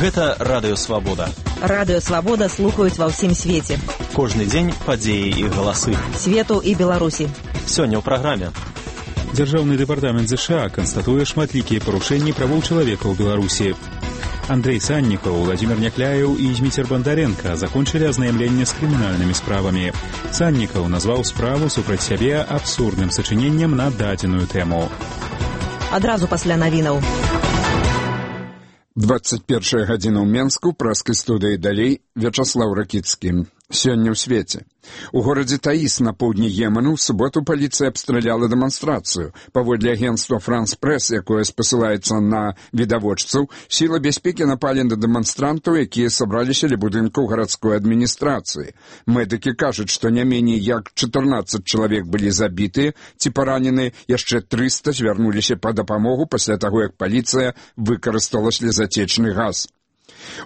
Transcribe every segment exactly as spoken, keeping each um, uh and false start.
Гэта Радыё Свабода. Радыё Свабода слухаюць ва ўсім свеце. Кожны дзень падзеі і галасы. Свету і Беларусі. Сёння ў праграме. Дзяржаўны дэпартамент ЗША канстатуе шматлікія парушэнні правоў чалавека ў Беларусі. Андрей Саннікаў, Владимир Някляеў і Зміцер Бандаренко закончылі азнаямленне з крымінальнымі справамі. Саннікаў назваў справу супраць сябе абсурдным сачыненнем на дадзеную тэму. Адразу пасля навінаў. двадцать первая гадзіна ў Менску, праскай студыі далей, Вячаслаў Ракіцкі. Сёння ў свеце. У горадзе Таіс на поўдні Йемену ў суботу паліцыя абстраляла дэманстрацыю. Паводле агенцтва «Франс Прэс», якое спасылаецца на відавочцаў, сілы бяспекі напалі на дэманстрантаў, якія сабраліся ля будынкаў гарадской адміністрацыі. Медыкі кажуць, што не меней як чатырнаццаць чалавек былі забітыя ці параненыя, яшчэ трыста звярнуліся па дапамогу пасля таго, як паліцыя выкарыстала слезатечны газ.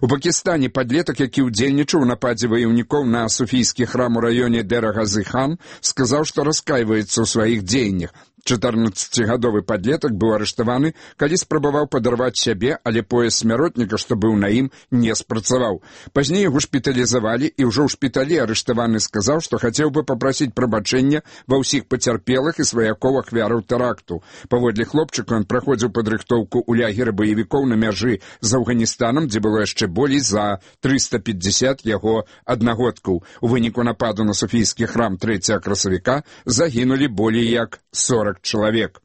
У Пакістане падлетак, які ўдзельнічаў у нападзе ваяўнікоў на суфійскі храм у раёне Дера-Газы-хан, сказаў, што раскайваецца ў сваіх дзеяннях. чатырнаццацігадовы падлетак быў арыштаваны, калі спрабаваў падарваць сябе, але пояс смяротніка, што быў на ім, не спрацаваў. Пазней яго шпіталізавалі, і ўжо ў шпіталі арыштаваны сказаў, што хацеў бы папрасіць прабачэння ва ўсіх пацярпелых і сваякоў ахвяраў тэракту. Паводле хлопчыка ён праходзіў падрыхтоўку ў лагеры баевікоў на мяжы з Афганістанам, дзе было яшчэ болей за трыста пятьдесят яго аднагодкаў. У выніку нападу на суфійскі храм трэцяга красавіка загінулі болей як сорок чалавек.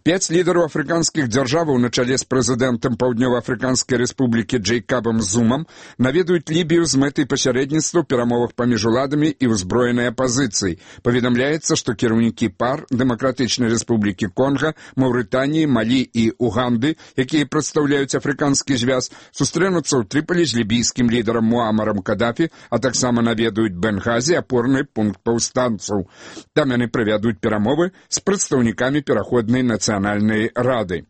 Пяць лідараў афрыканскіх дзяржаваў на чале з прэзідэнтам Паўднёва-Афрыканскай рэспублікі Джэйкабам Зумам наведаюць Лібію з мэтай пасярэдніцтва ў перамовах паміж уладамі і ўзброенай апазіцыяй. Паведамляецца, што кіраўнікі пар Дэмакратычнай рэспублікі Конга, Маўрытаніі, Малі і Уганды, якія прадстаўляюць афрыканскі звяз, сустрэнуцца ў Трыполі з лібійскім лідарам Муамарам Кадафі, а таксама наведаюць Бенгазі, апорны пункт паўстанцаў. Там яны правядуць перамовы з прадстаўнікамі пераходнай нацыянальнай рады.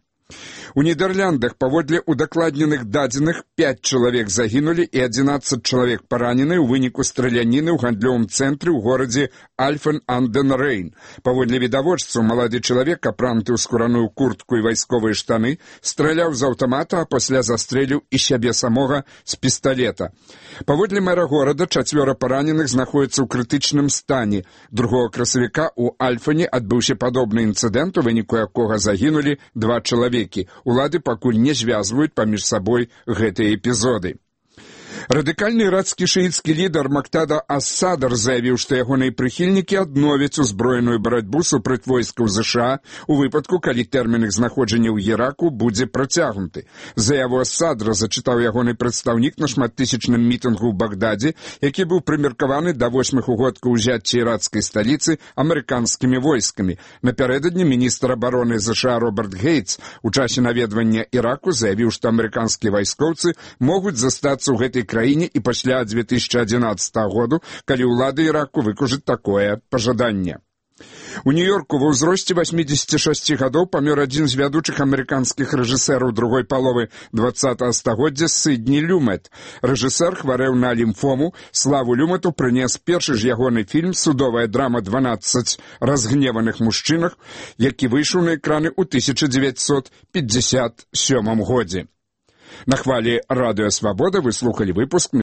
У Нідерландах паводле удакладненых дадзеных пяць чалавек загінулі і адзінаццаць чалавек паранены ў выніку страляніны ў гандлёвым цэнтры ў горадзе Альфен-ан-ден-Рэйн. Паводле відавочцаў, малады чалавек, апрануты ў скураную куртку і вайсковыя штаны, страляў з аўтамата, а пасля застрэліў і сябе самога з пісталета. Паводле мэра горада, чацвёра параненых знаходзяцца ў крытычным стане. Другога красавіка ў Альфане адбыўся падобны інцыдэнт, у выніку якога загінулі два чалавекі. Улады пакуль не звязваюць паміж сабой гэтыя эпізоды. Радыкальны ірацкі шыіцкі лідар Мактада ас-Садар заявіў, што ягоныя прыхільнікі адновяць узброеную барацьбу супраць войскаў ЗША у выпадку, калі тэрмін іх знаходжання ў Іраку будзе працягнуты. Заяву ас-Садра зачытаў ягоны прадстаўнік на шматтысячным мітынгу ў Багдадзе, які быў прымеркаваны да восьмых угодкаў узяцця ірацкай сталіцы амерыканскімі войскамі. Напярэдадні міністр абароны ЗША Роберт Гейтс у часе наведвання Іраку заявіў, што амерыканскія вайскоўцы могуць застацца ў гэтай краіне і пасля дзве тысячы адзінаццатага году, калі ўлады Іраку выкажуць такое пажаданне. У Нью-Йорку ва ўзросце васьмідзесяці шасці гадоў памёр адзін з вядучых амерыканскіх рэжысэраў другой паловы двадцатага стагоддзя Сідні Люмет. Рэжысэр хварэў на лімфому. Славу Люмету прынес першы ж ягоны фільм «Судовая драма дванаццаць разгневаных мужчынах», які выйшаў на экраны ў тысяча дзевяцьсот пятьдзясят сёмым годзе. На хвалі Радыё Свабода вы слухалі выпуск